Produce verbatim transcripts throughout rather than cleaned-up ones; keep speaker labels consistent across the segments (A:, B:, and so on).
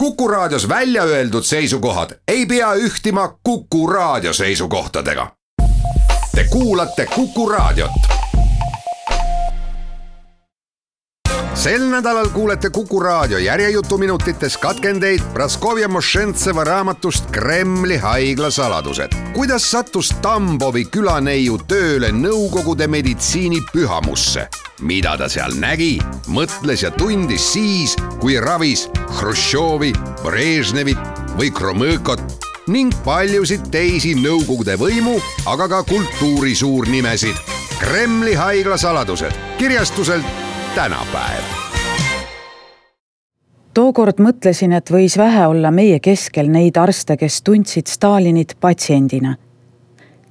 A: Kuku Raadios välja öeldud seisukohad ei pea ühtima Kuku Raadio seisukohtadega. Te kuulate Kuku Raadiot. Sel nädalal kuulete Kuku Raadio järjejutuminutites katkendeid Praskovja Mošentseva raamatust Kremli haigla saladused. Kuidas sattus Tambovi külaneiu tööle Nõukogude meditsiini pühamusse? Mida ta seal nägi, mõtles ja tundis siis, kui ravis Hruštšovi, Brežnevit või Kromõkot ning paljusid teisi Nõukogude võimu, aga ka kultuuri suurnimesid. Kremli haigla saladused kirjastuselt Tänapäev.
B: Tookord mõtlesin, et võis vähe olla meie keskel neid arste, kes tundsid Stalinit patsiendina.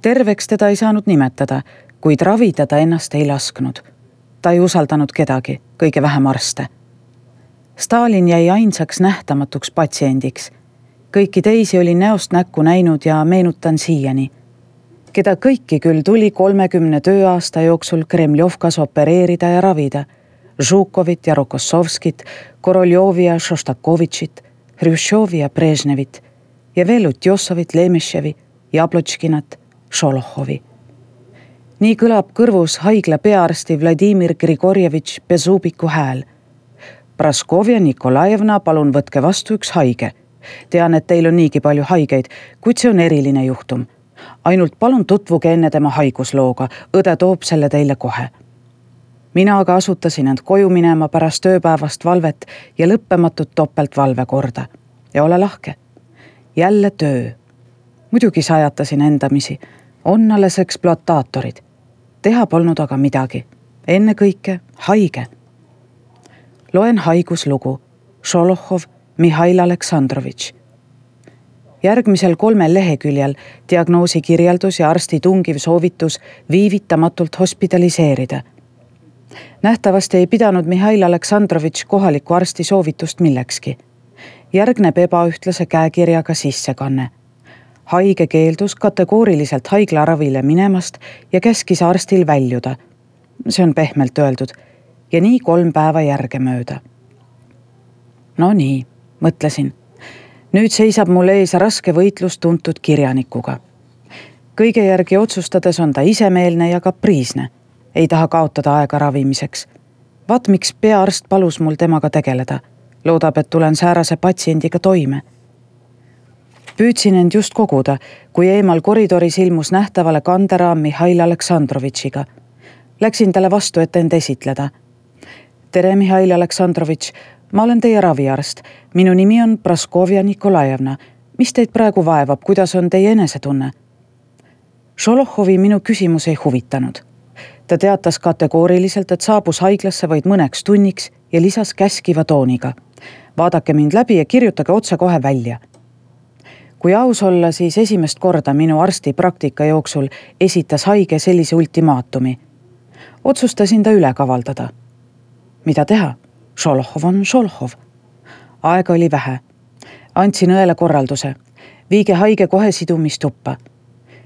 B: Terveks teda ei saanud nimetada, kuid ravida ta ennast ei lasknud. Ta ei usaldanud kedagi, kõige vähem arste. Stalin jäi ainsaks nähtamatuks patsiendiks. Kõiki teisi oli näost näkku näinud ja meenutan siiani. Keda kõiki küll tuli kolmekümne tööaasta jooksul Kremljovkas opereerida ja ravida. Žukovit ja Rokossovskit, Koroljovi ja Šoštakovitšit, Hruštšovi ja Brežnevit ja veel Utjosovit, Lemeševi, Jablotškinat, Šolohovi. Nii kõlab kõrvus haigla peaarsti Vladimir Grigorjevitš Bezubiku hääl. Praskovja Nikolajevna, palun võtke vastu üks haige. Tean, et teil on niigi palju haigeid, kuid see on eriline juhtum. Ainult palun tutvuge enne tema haiguslooga, õde toob selle teile kohe. Mina aga asutasin end koju minema pärast ööpäevast valvet ja lõppematut topeltvalve korda. Ja ole lahke. Jälle töö. Muidugi sajatasin endamisi. On alles eksploataatorid. Teha polnud aga midagi. Enne kõike haige. Loen haiguslugu. Šolohov Mihhail Aleksandrovitš. Järgmisel kolmel leheküljel diagnoosi kirjeldus ja arsti tungiv soovitus viivitamatult hospitaliseerida. Nähtavasti ei pidanud Mihhail Aleksandrovitš kohaliku arsti soovitust millekski. Järgneb ebaühtlase käekirjaga sissekanne. Haige keeldus kategooriliselt haiglaravile minemast ja käskis arstil väljuda. See on pehmelt öeldud. Ja nii kolm päeva järge mööda. No nii, mõtlesin. Nüüd seisab mul ees raske võitlus tuntud kirjanikuga. Kõige järgi otsustades on ta isemeelne ja kapriisne. Ei taha kaotada aega ravimiseks. Vaat miks peaarst palus mul temaga tegeleda. Loodab, et tulen säärase patsiendiga toime. Püüdsin end just koguda, kui eemal koridoris ilmus nähtavale kanderaam Mihhail Aleksandrovitšiga. Läksin talle vastu, et end esitleda. Tere, Mihhail Aleksandrovitš, ma olen teie raviarst. Minu nimi on Praskovja Nikolajevna. Mis teid praegu vaevab, kuidas on teie enesetunne? Šolohovi minu küsimus ei huvitanud. Ta teatas kategooriliselt, et saabus haiglasse vaid mõneks tunniks ja lisas käskiva tooniga. Vaadake mind läbi ja kirjutage otse kohe välja. Kui aus olla, siis esimest korda minu arsti praktika jooksul esitas haige sellise ultimaatumi. Otsustasin ta üle kavaldada. Mida teha? Šolohov on Šolohov. Aega oli vähe. Andsin õele korralduse. Viige haige kohe sidumistuppa.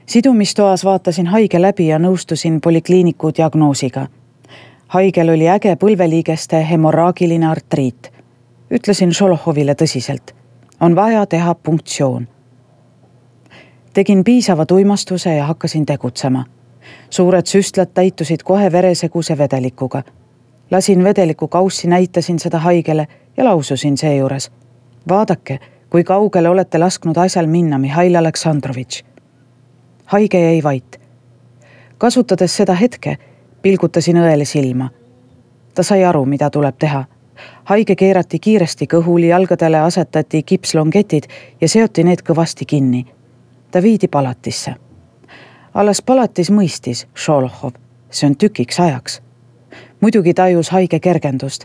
B: Sidumistoas vaatasin haige läbi ja nõustusin polikliiniku diagnoosiga. Haigel oli äge põlveliigeste hemorraagiline artriit. Ütlesin Šolohovile tõsiselt. On vaja teha punktsioon. Tegin piisava tuimastuse ja hakkasin tegutsema. Suured süstlad täitusid kohe vereseguse vedelikuga. Lasin vedeliku kaussi, näitasin seda haigele ja laususin seejuures. Vaadake, kui kaugele olete lasknud asjal minna, Mihhail Aleksandrovitš. Haige jäi vait. Kasutades seda hetke, pilgutasin õele silma. Ta sai aru, mida tuleb teha. Haige keerati kiiresti kõhuli, jalgadele asetati kipslongetid ja seoti need kõvasti kinni. Ta viidi palatisse. Alles palatis mõistis Šolohov. See on tükiks ajaks. Muidugi tajus haige kergendust.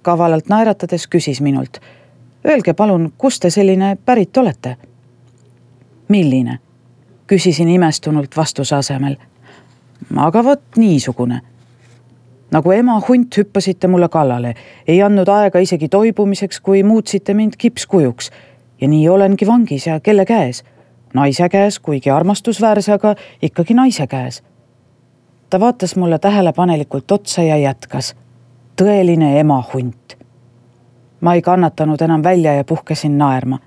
B: Kavalalt naeratades küsis minult. Öelge palun, kus te selline pärit olete? Milline? Küsisin imestunult vastuse asemel. Aga vot niisugune. Nagu ema hunt hüppasite mulle kallale. Ei andnud aega isegi toibumiseks, kui muutsite mind kipskujuks. Ja nii olengi vangis ja kelle käes? Naise käes, kuigi armastusväärse, aga ikkagi naise käes. Ta vaatas mulle tähelepanelikult otsa ja jätkas. Tõeline ema hunt. ma ei kannatanud enam välja ja puhkesin naerma.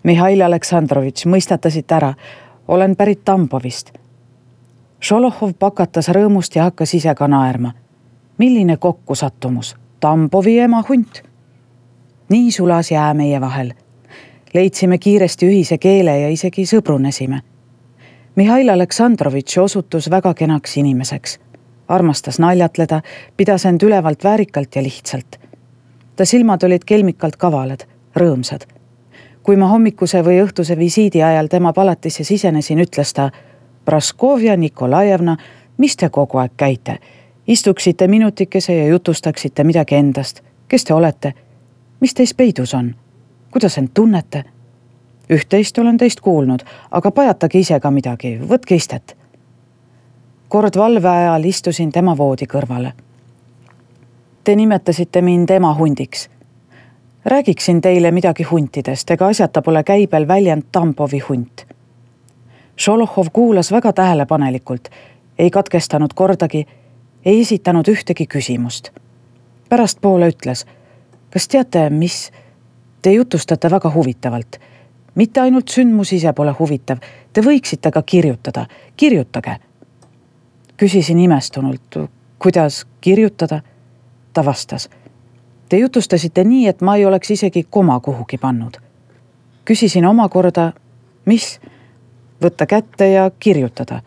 B: Mihhail Aleksandrovitš, mõistatasite ära, olen pärit Tambovist. Šolohov pakatas rõõmust ja hakkas ise ka naerma. Milline kokkusattumus, Tambovi ema hunt. Nii sulas jää meie vahel. Leidsime kiiresti ühise keele ja isegi sõbrunesime. Mihhail Aleksandrovitš osutus väga kenaks inimeseks. Armastas naljatleda, pidas end ülevalt väärikalt ja lihtsalt. Ta silmad olid kelmikalt kavalad, rõõmsad. Kui ma hommikuse või õhtuse visiidi ajal tema palatisse sisenesin, ütles ta: Praskovja Nikolajevna, mis te kogu aeg käite? Istuksite minutikese ja jutustaksite midagi endast. Kes te olete? Mis teist peidus on? Kuidas end tunnete? Üht-teist olen teist kuulnud, aga pajatage ise ka midagi, võtke istet. Kord valve ajal istusin tema voodi kõrvale. Te nimetasite mind ema hundiks. Räägiksin teile midagi huntidest, ega asjata pole käibel väljend Tambovi hunt. Šolohov kuulas väga tähelepanelikult, ei katkestanud kordagi, ei esitanud ühtegi küsimust. Pärast poole ütles: kas teate, mis? Te jutustate väga huvitavalt. Mitte ainult sündmus ise pole huvitav, te võiksite ka kirjutada. Kirjutage. Küsisin imestunult, kuidas kirjutada? Ta vastas: te jutustasite nii, et ma ei oleks isegi koma kuhugi pannud. Küsisin omakorda, mis? Võtta kätte ja kirjutada.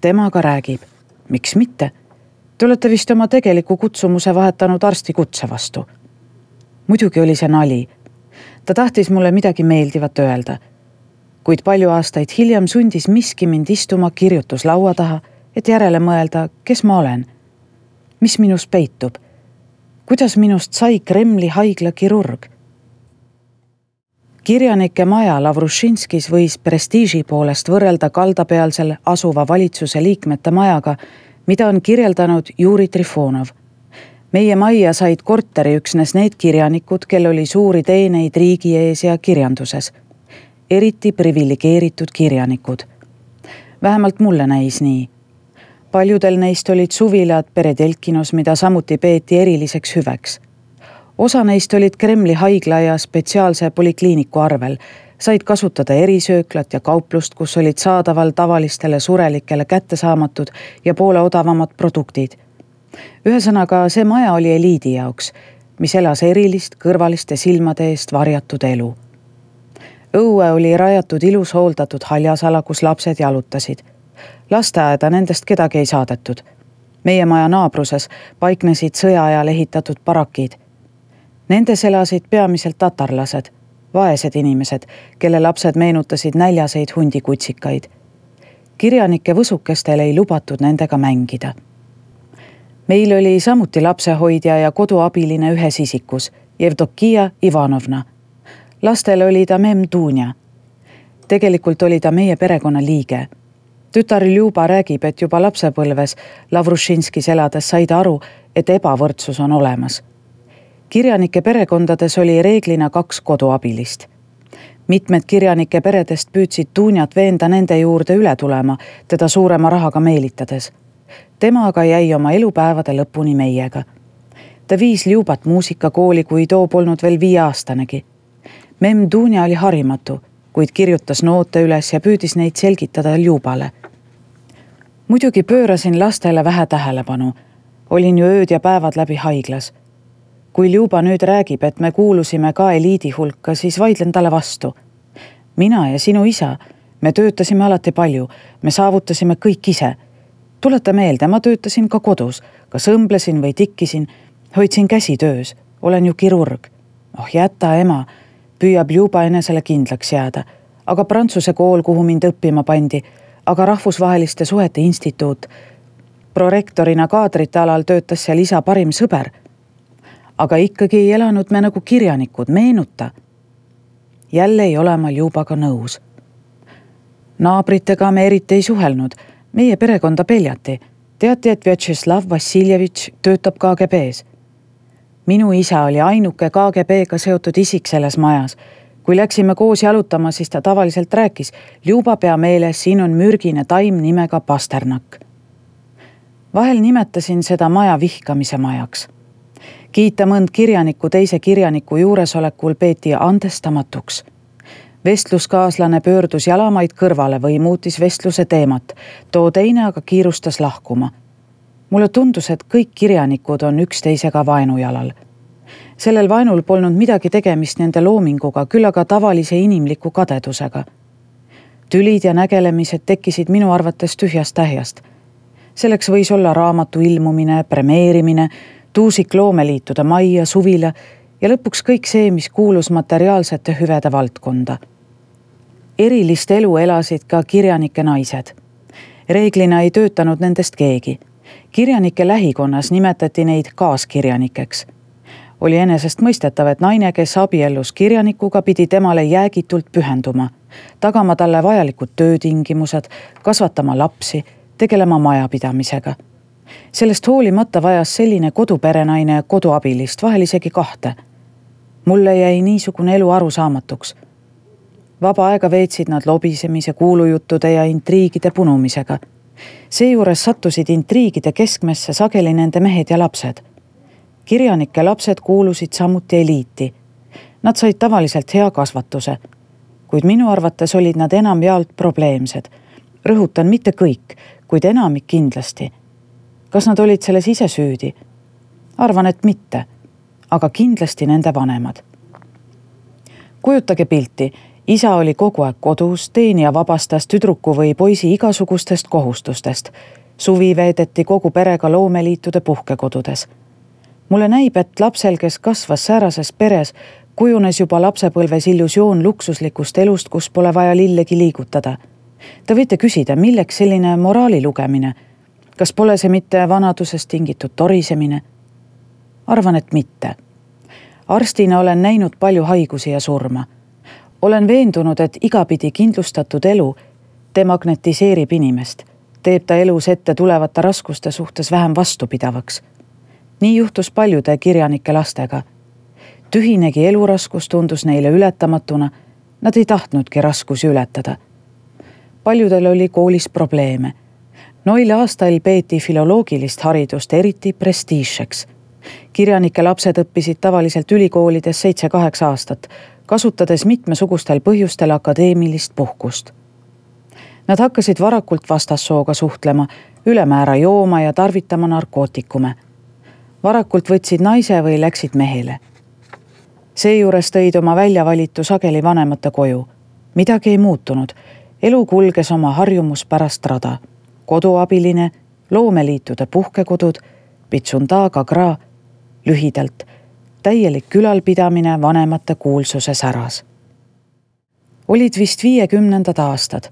B: Temaga räägib. Miks mitte? Te olete vist oma tegeliku kutsumuse vahetanud arsti kutse vastu. Muidugi oli see nali. Ta tahtis mulle midagi meeldivat öelda. Kuid palju aastaid hiljem sundis miski mind istuma kirjutuslaua taha, et järele mõelda, kes ma olen. Mis minus peitub? Kuidas minust sai Kremli haigla kirurg? Kirjanike maja Lavrušinskis võis prestiiži poolest võrrelda kaldapealsel asuva valitsuse liikmete majaga, mida on kirjeldanud Juri Trifonov. Meie majja said korteri üksnes need kirjanikud, kel oli suuri teeneid riigi ees ja kirjanduses. Eriti privilegeeritud kirjanikud. Vähemalt mulle näis nii. Paljudel neist olid suvilad Peredelkinos, mida samuti peeti eriliseks hüveks. Osa neist olid Kremli haigla ja spetsiaalse polikliiniku arvel, said kasutada erisööklat ja kauplust, kus olid saadaval tavalistele surelikele kättesaamatud ja poole odavamad produktid. Ühesõnaga, see maja oli eliidi jaoks, mis elas erilist kõrvaliste silmade eest varjatud elu. Õue oli rajatud ilus hooldatud haljasala, kus lapsed jalutasid. Lasteaeda nendest kedagi ei saadetud. Meie maja naabruses paiknesid sõjaajal ehitatud barakid. Nendes elasid peamiselt tatarlased, vaesed inimesed, kelle lapsed meenutasid näljaseid hundikutsikaid. Kirjanike võsukestel ei lubatud nendega mängida. Meil oli samuti lapsehoidja ja koduabiline ühes isikus, Jevdokia Ivanovna. Lastel oli ta mem Dunja. Tegelikult oli ta meie perekonna liige. Tütar Ljuba räägib, et juba lapsepõlves Lavrušinskis elades said aru, et ebavõrdsus on olemas. Kirjanike perekondades oli reeglina kaks koduabilist. Mitmed kirjanike peredest püüdsid Dunjat veenda nende juurde üle tulema, teda suurema rahaga meelitades. Tema aga jäi oma elupäevade lõpuni meiega. Ta viis Ljubat muusikakooli, kui too polnud veel viieaastanegi. Mem Dunja oli harimatu, kuid kirjutas noote üles ja püüdis neid selgitada Ljubale. Muidugi pöörasin lastele vähe tähelepanu. Olin ju ööd ja päevad läbi haiglas. Kui Ljuba nüüd räägib, et me kuulusime ka eliidi hulka, siis vaidlen talle vastu. Mina ja sinu isa, me töötasime alati palju, me saavutasime kõik ise. Tuleta meelde, ma töötasin ka kodus, kas õmblesin või tikkisin, hoidsin käsi töös, olen ju kirurg. Oh jäta ema, püüab Ljuba enesele kindlaks jääda, aga prantsuse kool, kuhu mind õppima pandi, aga rahvusvaheliste suhete instituut. Prorektorina kaadrite alal töötas seal isa parim sõber. Aga ikkagi ei elanud me nagu kirjanikud, meenuta. Jälle ei ole ma Ljubaga nõus. Naabritega me eriti ei suhelnud, meie perekonda peljati. Teati, et Vjatšeslav Vassiljevitš töötab K G B-s. Minu isa oli ainuke K G B-ga seotud isik selles majas. Kui läksime koos jalutama, siis ta tavaliselt rääkis, Ljuba pea meeles, siin on mürgine taim nimega Pasternak. Vahel nimetasin seda maja vihkamise majaks. Kiita mõnd kirjaniku teise kirjaniku juuresolekul peeti andestamatuks. Vestluskaaslane pöördus jalamaid kõrvale või muutis vestluse teemat, too teine aga kiirustas lahkuma. Mulle tundus, et kõik kirjanikud on üksteisega vaenujalal. Sellel vaenul polnud midagi tegemist nende loominguga, küll aga tavalise inimliku kadedusega. Tülid ja nägelemised tekkisid minu arvates tühjast tähjast. Selleks võis olla raamatu ilmumine, premeerimine, tuusik loomeliitude majja, suvila ja lõpuks kõik see, mis kuulus materiaalsete hüvede valdkonda. Erilist elu elasid ka kirjanike naised. Reeglina ei töötanud nendest keegi. Kirjanike lähikonnas nimetati neid kaaskirjanikeks. Oli enesest mõistetav, et naine, kes abiellus kirjanikuga, pidi temale jäägitult pühenduma, tagama talle vajalikud töötingimused, kasvatama lapsi, tegelema majapidamisega. Sellest hoolimata vajas selline koduperenaine koduabilist, vahel isegi kahte. Mulle jäi niisugune elu arusaamatuks. Vaba aega veetsid nad lobisemise, kuulujuttude ja intriigide punumisega. Seejuures sattusid intriigide keskmesse sageli nende mehed ja lapsed. Kirjanike lapsed kuulusid samuti eliiti. Nad said tavaliselt hea kasvatuse, kuid minu arvates olid nad enam jaolt probleemsed. Rõhutan mitte kõik, kuid enamik kindlasti. Kas nad olid selles ise süüdi? Arvan, et mitte, aga kindlasti nende vanemad. Kujutage pilti, isa oli kogu aeg kodus, teenija vabastas tüdruku või poisi igasugustest kohustustest. Suvi veedeti kogu perega loomeliitude puhkekodudes. Mulle näib, et lapsel, kes kasvas säärases peres, kujunes juba lapsepõlves illusioon luksuslikust elust, kus pole vaja lillegi liigutada. Te võite küsida, milleks selline moraali lugemine? Kas pole see mitte vanadusest tingitud torisemine? Arvan, et mitte. Arstina olen näinud palju haigusi ja surma. Olen veendunud, et igapidi kindlustatud elu demagnetiseerib inimest, teeb ta elus ette tulevate raskuste suhtes vähem vastupidavaks. Nii juhtus paljude kirjanike lastega. Tühinegi eluraskus tundus neile ületamatuna, nad ei tahtnudki raskusi ületada. Paljudel oli koolis probleeme. Noile aastail peeti filoloogilist haridust eriti prestiižseks. Kirjanike lapsed õppisid tavaliselt ülikoolides seitse-kaheksa aastat, kasutades mitmesugustel põhjustel akadeemilist puhkust. Nad hakkasid varakult vastassooga suhtlema, ülemäära jooma ja tarvitama narkootikume. Varakult võtsid naise või läksid mehele. Seejuures tõid oma väljavalitu sageli vanemate koju. Midagi ei muutunud. Elu kulges oma harjumuspärast rada. Koduabiline, loomeliitude puhkekodud, pitsundaga gra, lühidalt, täielik külalpidamine vanemate kuulsuse säras. Olid vist viiekümnendad aastad.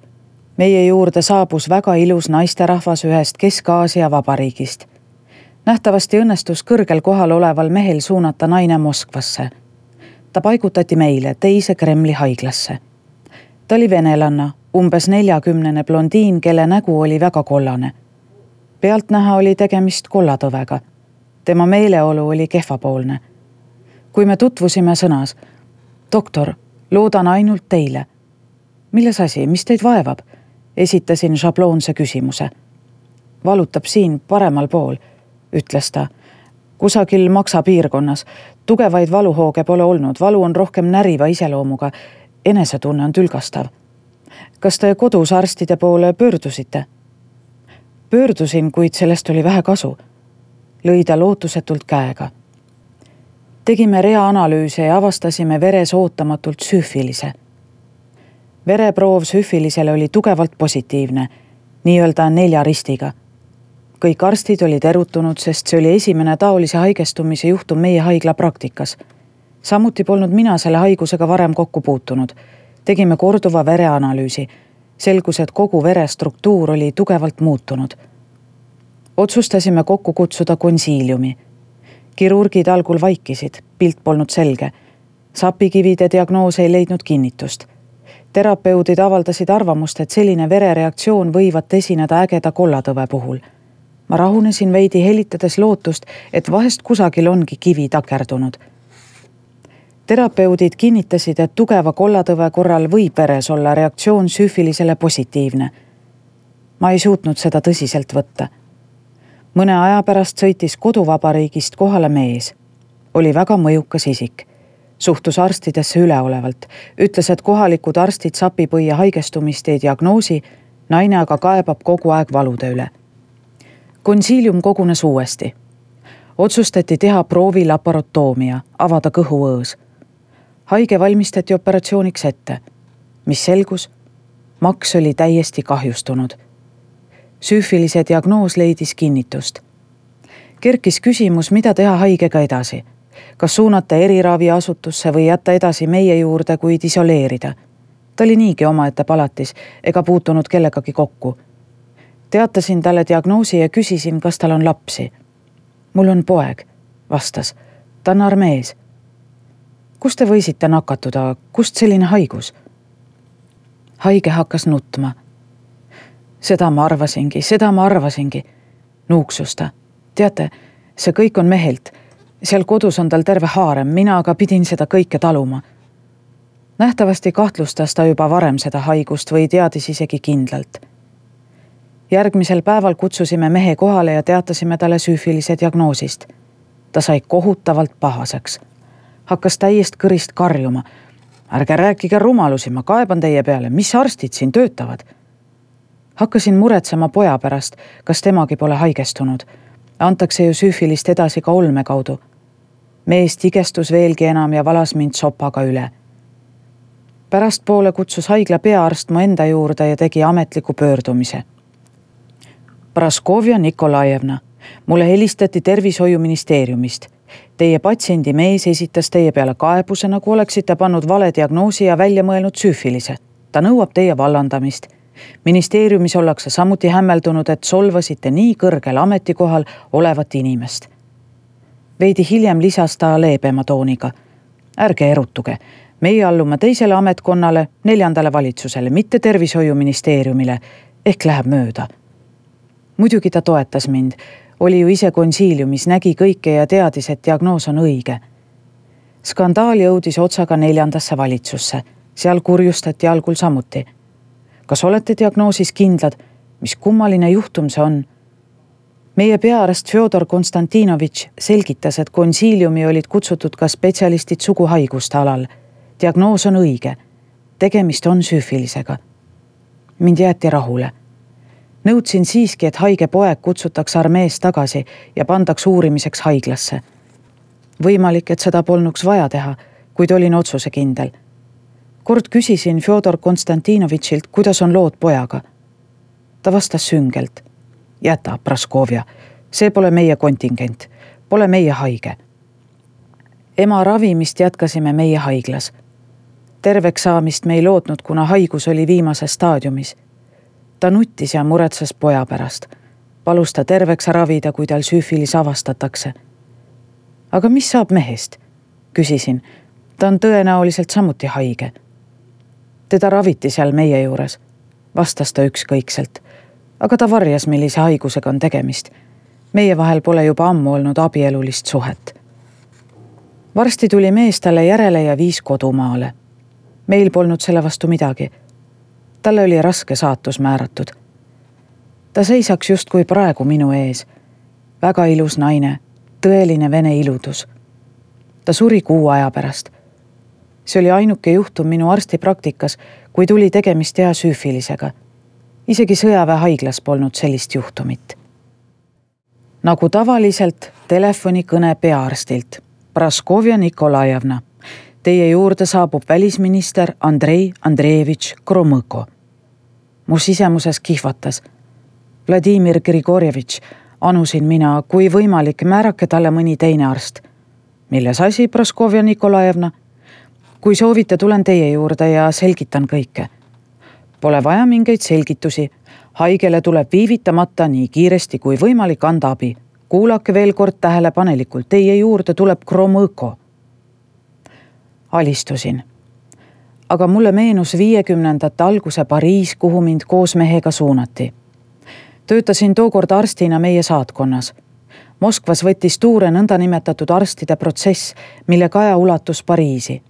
B: Meie juurde saabus väga ilus naisterahvas ühest Kesk-Aasia vabariigist. Nähtavasti õnnestus kõrgel kohal oleval mehel suunata naine Moskvasse. Ta paigutati meile teise Kremli haiglasse. Ta oli venelanna, umbes neljakümnene blondiin, kelle nägu oli väga kollane. Pealtnäha oli tegemist kollatõvega. Tema meeleolu oli kehvapoolne. Kui me tutvusime sõnas, doktor, loodan ainult teile. Milles asi, mis teid vaevab? Esitasin šabloonse küsimuse. Valutab siin paremal pool, ütles ta. Kusagil maksa piirkonnas. Tugevaid valuhooge pole olnud. Valu on rohkem näriva iseloomuga. Enesetunne on tülgastav. Kas te kodus arstide poole pöördusite? Pöördusin, kuid sellest oli vähe kasu. Lõi ta lootusetult käega. Tegime rea analüüse ja avastasime veres ootamatult süüfilise. Vereproov süüfilisele oli tugevalt positiivne, nii-öelda nelja ristiga. Kõik arstid olid erutunud, sest see oli esimene taolise haigestumise juhtum meie haigla praktikas. Samuti polnud mina selle haigusega varem kokku puutunud. Tegime korduva vereanalüüsi. Selgus, et kogu vere struktuur oli tugevalt muutunud. Otsustasime kokku kutsuda konsiiliumi. Kirurgid algul vaikisid, pilt polnud selge. Sapikivide diagnoos ei leidnud kinnitust. Terapeudid avaldasid arvamust, et selline verereaktsioon võivat esineda ägeda kollatõve puhul. Ma rahunesin veidi helitades lootust, et vahest kusagil ongi kivi takerdunud. Terapeudid kinnitasid, et tugeva kollatõve korral võib veres olla reaktsioon süüfilisele positiivne. Ma ei suutnud seda tõsiselt võtta. Mõne aja pärast sõitis koduvabariigist kohale mees. oli väga mõjukas isik. Suhtus arstidesse üleolevalt, ütles, et kohalikud arstid sapipõia haigestumist ei diagnoosi, naine aga kaebab kogu aeg valude üle. Konsiilium kogunes uuesti. Otsustati teha proovi laparotoomia, avada kõhuõõs. Haige valmistati operatsiooniks ette. Mis selgus? Maks oli täiesti kahjustunud. Süüfilise diagnoos leidis kinnitust. Kerkis küsimus, mida teha haigega edasi. Kas suunata eriraviasutusse või jätta edasi meie juurde, kuid isoleerida. Ta oli niigi omaette palatis ega puutunud kellegagi kokku. Teatasin talle diagnoosi ja küsisin, kas tal on lapsi. Mul on poeg, vastas. Ta on armees. Kust te võisite nakatuda? Kust selline haigus? Haige hakkas nutma. Seda ma arvasingi, seda ma arvasingi. Nuuksus ta. Teate, see kõik on mehelt. Seal kodus on tal terve haarem, mina aga pidin seda kõike taluma. Nähtavasti kahtlustas ta juba varem seda haigust või teadis isegi kindlalt. Järgmisel päeval kutsusime mehe kohale ja teatasime talle süüfilise diagnoosist. Ta sai kohutavalt pahaseks. Hakkas täiest kõrist karjuma. Ärge rääkige rumalusi, ma kaeban teie peale, mis arstid siin töötavad? Hakkasin muretsema poja pärast, kas temagi pole haigestunud. Antakse ju süüfilist edasi ka olme kaudu. Mees tigestus veelgi enam ja valas mind sopaga üle. Pärast poole kutsus haigla peaarst mu enda juurde ja tegi ametliku pöördumise. Praskovia Nikolajevna, mulle helistati tervishoiuministeeriumist. Teie patsiendi mees esitas teie peale kaebuse, nagu oleksite pannud vale diagnoosi ja välja mõelnud süüfilise. Ta nõuab teie vallandamist. Ministeeriumis ollakse samuti hämmeldunud, et solvasite nii kõrgel ametikohal olevat inimest. Veidi hiljem lisas ta leebema tooniga. Ärge erutuge. Meie allume teisele ametkonnale, neljandale valitsusele, mitte tervishoiuministeeriumile, ehk läheb mööda. Muidugi ta toetas mind. Oli ju ise konsiiliumis, nägi kõike ja teadis, et diagnoos on õige. Skandaal jõudis otsaga neljandasse valitsusse. Seal kurjustati algul samuti. Kas olete diagnoosis kindlad? Mis kummaline juhtum see on? Meie peaarst Fjodor Konstantinovitš selgitas, et konsiiliumi olid kutsutud ka spetsialistid suguhaiguste alal. Diagnoos on õige. Tegemist on süüfilisega. Mind jäeti rahule. Nõudsin siiski, et haige poeg kutsutaks armees tagasi ja pandaks uurimiseks haiglasse. Võimalik, et seda polnuks vaja teha, kuid olin otsuse kindel. Kord küsisin Fjodor Konstantinovitšilt, kuidas on lood pojaga. Ta vastas süngelt. Jäta, Praskovia, see pole meie kontingent, pole meie haige. Ema ravimist jätkasime meie haiglas. Terveks saamist me ei lootnud, kuna haigus oli viimases staadiumis. Ta nuttis ja muretses poja pärast. Palus ta terveks ravida, kui tal süüfilis avastatakse. Aga mis saab mehest? Küsisin. Ta on tõenäoliselt samuti haige. Teda raviti seal meie juures. Vastas ta ükskõikselt. Aga ta varjas, millise haigusega on tegemist. Meie vahel pole juba ammu olnud abielulist suhet. Varsti tuli mees talle järele ja viis kodumaale. Meil polnud selle vastu midagi. Talle oli raske saatus määratud. Ta seisaks just kui praegu minu ees. Väga ilus naine, tõeline vene iludus. Ta suri kuu aja pärast. See oli ainuke juhtum minu arstipraktikas, kui tuli tegemist hea süüfilisega. Isegi sõjaväe haiglas polnud sellist juhtumit. Nagu tavaliselt telefonikõne peaarstilt. Praskovia Nikolajevna. Teie juurde saabub välisminister Andrei Andreevitš Kromõko. Mu sisemuses kihvatas. Vladimir Grigorjevitš, anusin mina, kui võimalik, määrake talle mõni teine arst. Milles asi, Praskovia Nikolajevna? Kui soovite, tulen teie juurde ja selgitan kõike. Pole vaja mingeid selgitusi. Haigele tuleb viivitamata nii kiiresti kui võimalik anda abi. Kuulake veel kord tähelepanelikult, teie juurde tuleb Kromõko. Alistusin. Aga mulle meenus viiekümnendate alguse Pariis, kuhu mind koos mehega suunati. Töötasin tookord arstina meie saatkonnas. Moskvas võttis tuure nõndanimetatud arstide protsess, mille kaja ulatus Pariisi.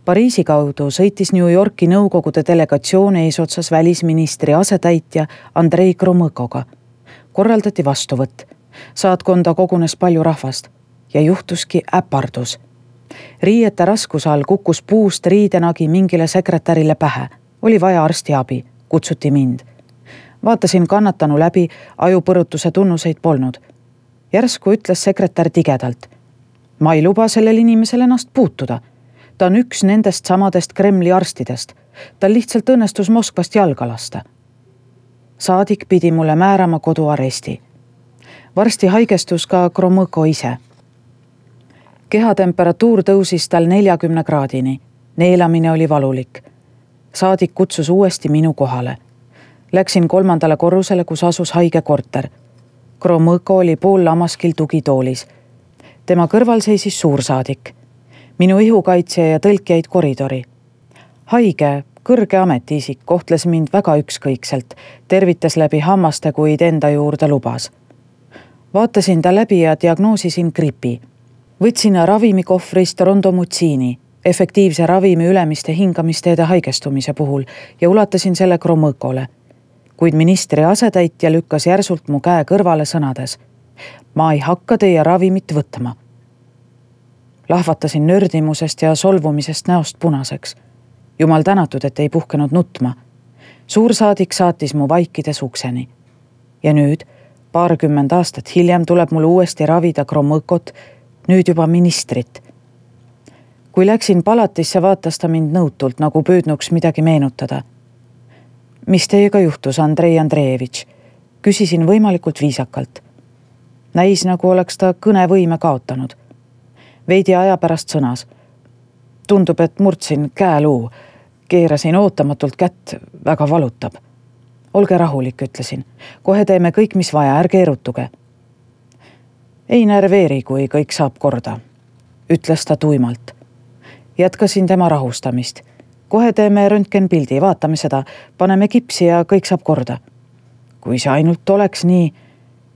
B: Pariisi kaudu sõitis New Yorki nõukogude delegatsioon eesotsas välisministri asetäitja Andrei Kromõkoga. Korraldati vastuvõtt. Saatkonda kogunes palju rahvast. ja juhtuski äpardus. Riiete raskuse all kukkus puust riidenagi mingile sekretärile pähe. Oli vaja arsti abi, kutsuti mind. Vaatasin kannatanu läbi, ajupõrutuse tunnuseid polnud. Järsku ütles sekretär tigedalt. Ma ei luba sellel inimesel ennast puutuda. Ta on üks nendest samadest Kremli arstidest. Tal lihtsalt õnnestus Moskvast jalga lasta. Saadik pidi mulle määrama koduaresti. Varsti haigestus ka Gromõko ise. Kehatemperatuur tõusis tal neljakümne kraadini. Neelamine oli valulik. Saadik kutsus uuesti minu kohale. Läksin kolmandale korrusele, kus asus haige korter. Gromõko oli pool lamaskil tugitoolis. Tema kõrval seisis suursaadik. Minu ihukaitsja ja tõlk jäid koridori. Haige, kõrge ametiisik kohtles mind väga ükskõikselt, tervitas läbi hammaste, kuid enda juurde lubas. Vaatasin ta läbi ja diagnoosisin gripi. Võtsin ravimikohvrist rondomutsiini, efektiivse ravimi ülemiste hingamisteede haigestumise puhul ja ulatasin selle Gromõkole. Kuid ministri asetäitja lükkas järsult mu käe kõrvale sõnades. Ma ei hakka teie ravimit võtma. Lahvatasin nördimusest ja solvumisest näost punaseks. Jumal tänatud, et ei puhkenud nutma. Suursaadik saatis mu vaikides ukseni. Ja nüüd, paarkümmend aastat hiljem tuleb mul uuesti ravida Gromõkot, nüüd juba ministrit. Kui läksin palatisse, vaatas ta mind nõutult, nagu püüdnuks midagi meenutada. Mis teiega juhtus, Andrei Andreevitš? Küsisin võimalikult viisakalt. Näis, nagu oleks ta kõnevõime kaotanud. Veidi aja pärast sõnas. Tundub, et murdsin käeluu. Keerasin ootamatult kätt, väga valutab. Olge rahulik, ütlesin. Kohe teeme kõik, mis vaja, ärge erutuge. Ei närveeri, kui kõik saab korda, ütles ta tuimalt. Jätkasin tema rahustamist. Kohe teeme röntgenpildi, vaatame seda, paneme kipsi ja kõik saab korda. Kui see ainult oleks nii,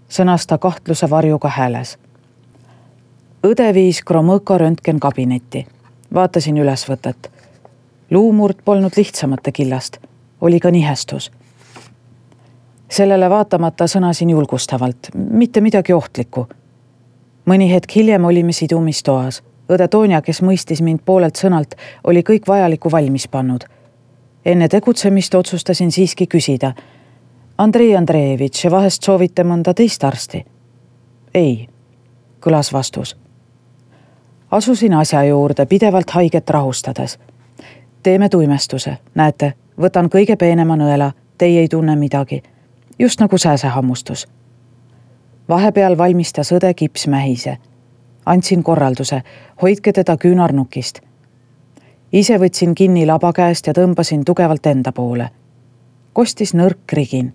B: sõnas ta kahtluse varjuga hääles. Õde viis Gromõko röntgenkabinetti. Vaatasin ülesvõtet. Luumurd polnud lihtsamate killast. Oli ka nihestus. Sellele vaatamata sõnasin julgustavalt. Mitte midagi ohtlikku. Mõni hetk hiljem olime sidumistoas. Õde Toonja, kes mõistis mind poolelt sõnalt, oli kõik vajaliku valmis pannud. Enne tegutsemist otsustasin siiski küsida. Andrei Andreevitš, vahest soovite mõnda teist arsti? Ei, kõlas vastus. Asusin asja juurde, pidevalt haiget rahustades. Teeme tuimestuse. Näete, võtan kõige peenema nõela. Teie ei tunne midagi. Just nagu sääsehammustus. Vahepeal valmistas õde kipsmähise. Andsin korralduse. Hoidke teda küünarnukist. Ise võtsin kinni laba käest ja tõmbasin tugevalt enda poole. Kostis nõrk krigin.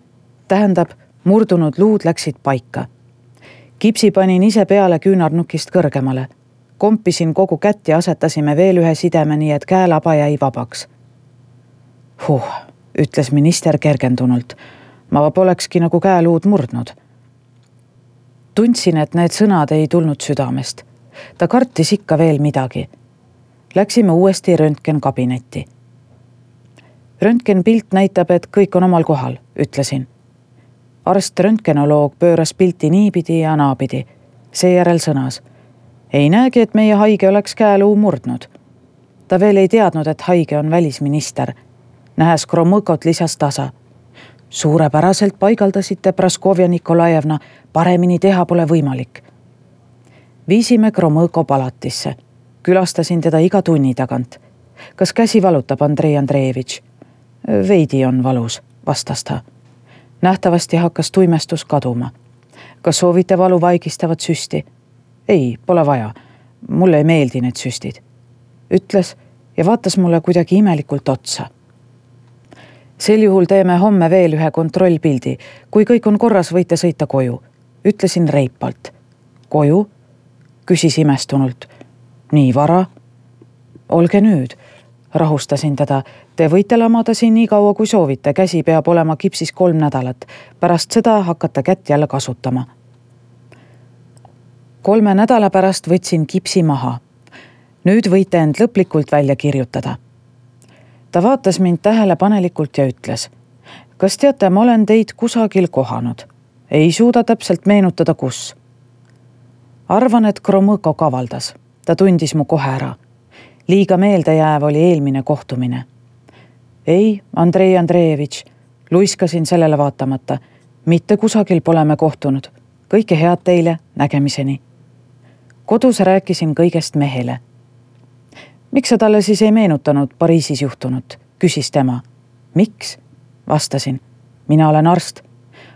B: Tähendab, murdunud luud läksid paika. Kipsi panin ise peale küünarnukist kõrgemale. Kompisin kogu kätt ja asetasime veel ühe sideme, nii et käelaba jäi vabaks. Huh, ütles minister kergendunult. Ma polekski nagu käeluud murdnud. Tundsin, et need sõnad ei tulnud südamest. Ta kartis ikka veel midagi. Läksime uuesti röntgenkabinetti. Röntgenpilt näitab, et kõik on omal kohal, ütlesin. Arst röntgenoloog pööras pilti niipidi ja naapidi. Seejärel sõnas. Ei näegi, et meie haige oleks käeluu murdnud. Ta veel ei teadnud, et haige on välisminister. Nähes Gromõkot lisas tasa. Suurepäraselt paigaldasite, Praskovja Nikolajevna, paremini teha pole võimalik. Viisime Gromõko palatisse. Külastasin teda iga tunni tagant. Kas käsi valutab, Andrei Andreevitš? Veidi on valus, vastas ta. Nähtavasti hakkas tuimestus kaduma. Kas soovite valu vaigistavat süsti? Ei, pole vaja. Mulle ei meeldi need süstid. Ütles ja vaatas mulle kuidagi imelikult otsa. Sel juhul teeme homme veel ühe kontrollpildi. Kui kõik on korras, võite sõita koju. Ütlesin reipalt. Koju? Küsis imestunult. Nii vara? Olge nüüd. Rahustasin teda. Te võite lamada siin nii kaua, kui soovite. Käsi peab olema kipsis kolm nädalat. Pärast seda hakata kätt jälle kasutama. Kolme nädala pärast võtsin kipsi maha. Nüüd võite end lõplikult välja kirjutada. Ta vaatas mind tähelepanelikult ja ütles. Kas teate, ma olen teid kusagil kohanud. Ei suuda täpselt meenutada, kus. arvan, et Gromõko kavaldas. Ta tundis mu kohe ära. Liiga meeldejääv oli eelmine kohtumine. Ei, Andrei Andreevitš, luiskasin sellele vaatamata. Mitte kusagil pole me kohtunud. Kõike head teile, nägemiseni. Kodus rääkisin kõigest mehele. Miks sa talle siis ei meenutanud Pariisis juhtunut? Küsis tema. Miks? Vastasin. Mina olen arst.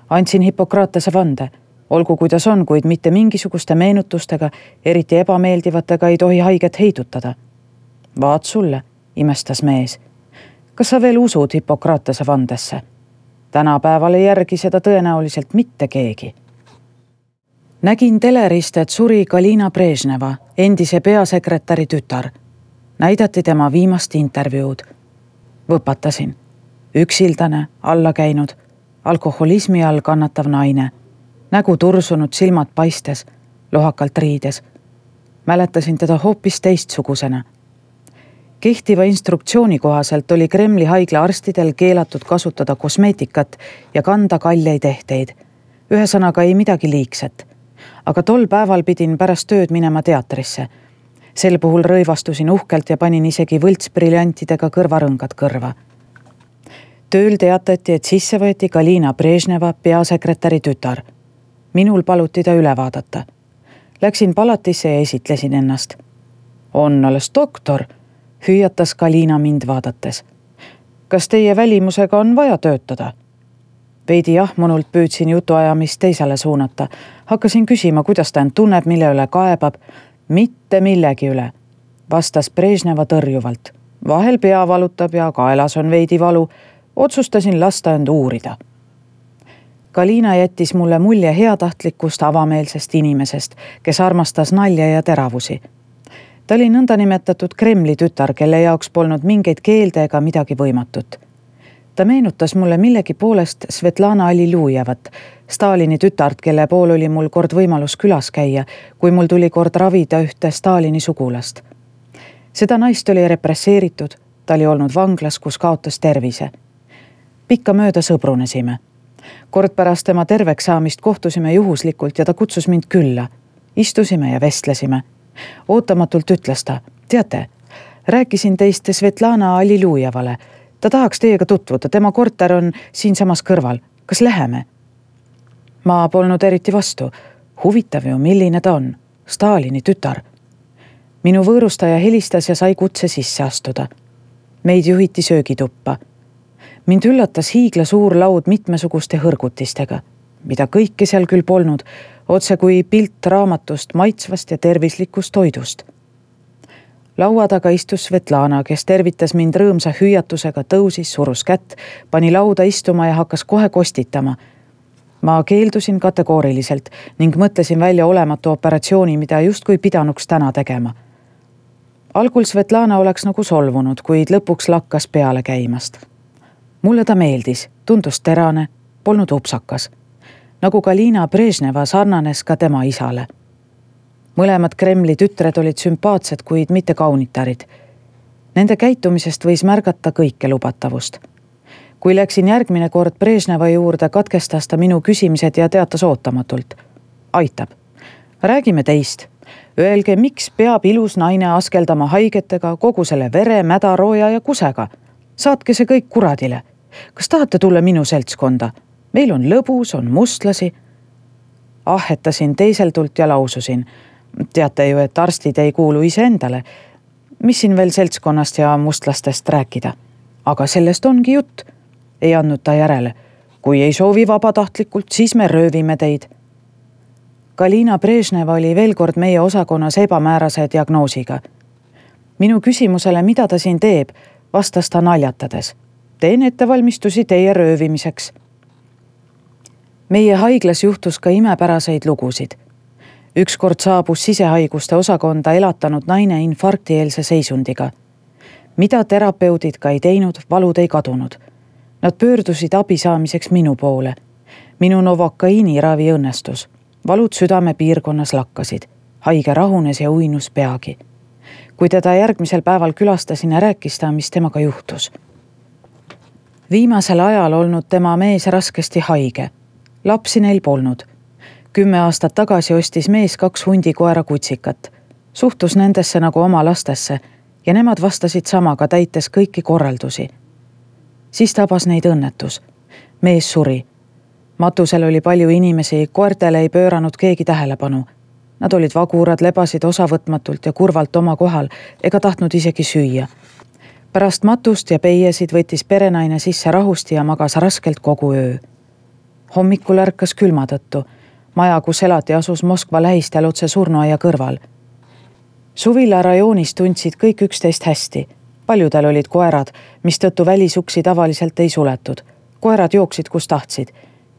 B: Andsin Hippokratese vande. Olgu kuidas on, kuid mitte mingisuguste meenutustega, eriti ebameeldivatega ei tohi haiget heidutada. Vaat sulle, imestas mees. Kas sa veel usud Hippokratese vandesse? Tänapäeval ei järgi seda tõenäoliselt mitte keegi. Nägin telerist, et suri Galina Brežneva, endise peasekretäri tütar. Näidati tema viimast intervjuud. Võpatasin. Üksildane, alla käinud, alkoholismi all kannatav naine. Nägu tursunud, silmad paistes, lohakalt riides. Mäletasin teda hoopis teistsugusena. Kehtiva instruktsiooni kohaselt oli Kremli haigla arstidel keelatud kasutada kosmeetikat ja kanda kalleid ehteid. Ühesõnaga ei midagi liigset. Aga tol päeval pidin pärast tööd minema teatrisse. Sel puhul rõivastusin uhkelt ja panin isegi võltsbriljantidega kõrvarõngad kõrva. Tööl teatati, et sisse võeti Galina Brežneva peasekretäri tütar. Minul paluti ta üle vaadata. Läksin palatisse ja esitlesin ennast. On alles doktor, hüüatas Galina mind vaadates. Kas teie välimusega on vaja töötada? Veidi jahmunult püüdsin jutuajamist teisele suunata. Hakkasin küsima, kuidas ta end tunneb, mille üle kaebab. Mitte millegi üle, vastas Brežneva tõrjuvalt. Vahel pea valutab ja kaelas on veidi valu. Otsustasin lasta end uurida. Galina jättis mulle mulje heatahtlikust avameelsest inimesest, kes armastas nalja ja teravusi. Ta oli nõndanimetatud Kremli tütar, kelle jaoks polnud mingeid keelde ega midagi võimatut. Ta meenutas mulle millegi poolest Svetlana Alilujevat, Stalini tütart, kelle pool oli mul kord võimalus külas käia, kui mul tuli kord ravida ühte Stalini sugulast. Seda naist oli represseeritud, ta oli olnud vanglas, kus kaotas tervise. Pikka mööda sõbrunesime. Kord pärast tema terveks saamist kohtusime juhuslikult ja ta kutsus mind külla. Istusime ja vestlesime. Ootamatult ütles ta, teate, rääkisin teist Svetlana Alilujevale. Ta tahaks teiega tutvuda, tema korter on siinsamas kõrval. Kas läheme? Ma polnud eriti vastu. Huvitav ju, milline ta on. Stalini tütar. Minu võõrustaja helistas ja sai kutse sisse astuda. Meid juhiti söögituppa. Mind üllatas hiigla suur laud mitmesuguste hõrgutistega, mida kõike seal küll polnud, otse kui pilt raamatust maitsvast ja tervislikust toidust. Laua taga istus Svetlana, kes tervitas mind rõõmsa hüüatusega, tõusis, surus kätt, pani lauda istuma ja hakkas kohe kostitama. Ma keeldusin kategooriliselt ning mõtlesin välja olematu operatsiooni, mida justkui pidanuks täna tegema. Algul Svetlana oleks nagu solvunud, kuid lõpuks lakkas peale käimast. Mulle ta meeldis, tundus terane, polnud upsakas. Nagu Galina Brežneva sarnanes ka tema isale. Mõlemad Kremli tütred olid sümpaatsed, kuid mitte kaunitarid. Nende käitumisest võis märgata kõike lubatavust. Kui läksin järgmine kord Brežneva juurde, katkestas ta minu küsimised ja teatas ootamatult. Aitab. Räägime teist. Öelge, miks peab ilus naine askeldama haigetega, kogu selle vere, mädarooja ja kusega? Saatke see kõik kuradile. Kas tahate tulla minu seltskonda? Meil on lõbus, on mustlasi. Ahetasin teiseltult ja laususin. Teate ju, et arstid ei kuulu ise endale. Mis siin veel seltskonnast ja mustlastest rääkida? Aga sellest ongi jutt. Ei andnud ta järele. Kui ei soovi vabatahtlikult, siis me röövime teid. Galina Brežneva oli veel kord meie osakonnas ebamäärase diagnoosiga. Minu küsimusele, mida ta siin teeb, vastas ta naljatades. Teen ettevalmistusi teie röövimiseks. Meie haiglas juhtus ka imepäraseid lugusid. Ükskord saabus sisehaiguste osakonda elatanud naine infarktieelse seisundiga. Mida terapeudid ka ei teinud, valud ei kadunud. Nad pöördusid abi saamiseks minu poole. Minu novokaiini ravi õnnestus. Valud südame piirkonnas lakkasid. Haige rahunes ja uinus peagi. Kui teda järgmisel päeval külastasin ja rääkis ta, mis temaga juhtus. Viimasel ajal olnud tema mees raskesti haige. Lapsi neil polnud. kümme aastat tagasi ostis mees kaks hundikoera kutsikat. Suhtus nendesse nagu oma lastesse ja nemad vastasid samaga, täites kõiki korraldusi. Siis tabas neid õnnetus. Mees suri. Matusel oli palju inimesi, koertele ei pööranud keegi tähelepanu. Nad olid vagurad, lebasid osavõtmatult ja kurvalt oma kohal ega tahtnud isegi süüa. Pärast matust ja peiesid võttis perenaine sisse rahusti ja magas raskelt kogu öö. Hommikul ärkas külma tõttu. Maja, kus elati, asus Moskva lähistel otse surnuaia kõrval. Suvila rajoonis tundsid kõik üksteist hästi. Paljudel olid koerad, mis tõttu välisuksi tavaliselt ei suletud. Koerad jooksid, kus tahtsid.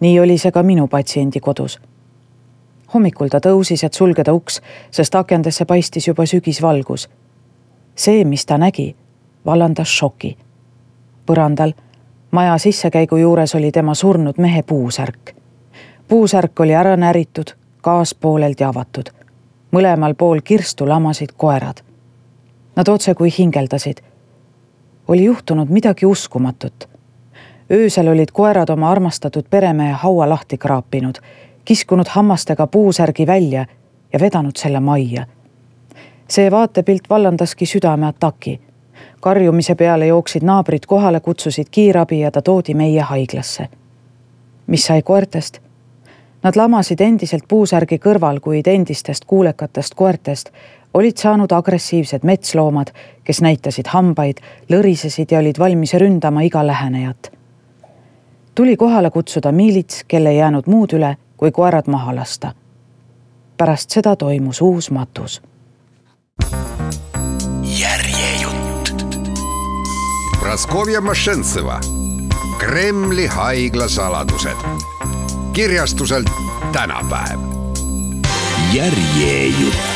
B: Nii oli see ka minu patsiendi kodus. Hommikul ta tõusis, et sulgeda uks, sest akendesse paistis juba sügisvalgus. See, mis ta nägi, vallandas šoki. Põrandal, maja sissekäigu juures oli tema surnud mehe puusärk. Puusärk oli ära näritud, gaas pooleldi avatud. Mõlemal pool kirstu lamasid koerad. Nad otse kui hingeldasid. Oli juhtunud midagi uskumatut. Öösel olid koerad oma armastatud peremehe haua lahti kraapinud, kiskunud hammastega puusärgi välja ja vedanud selle majja. See vaatepilt vallandaski südame ataki. Karjumise peale jooksid naabrid kohale, kutsusid kiirabi ja ta toodi meie haiglasse. Mis sai koertest? Nad lamasid endiselt puusärgi kõrval, kuid endistest kuulekatest koertest olid saanud agressiivsed metsloomad, kes näitasid hambaid, lõrisesid ja olid valmis ründama iga lähenejat. Tuli kohale kutsuda miilits, kelle ei jäänud muud üle, kui koerad maha lasta. Pärast seda toimus uus matus.
A: Järjejutt. Praskovja Mošentseva. Kremli haigla saladused. Kirjastuselt Tänapäev. Järjejutt.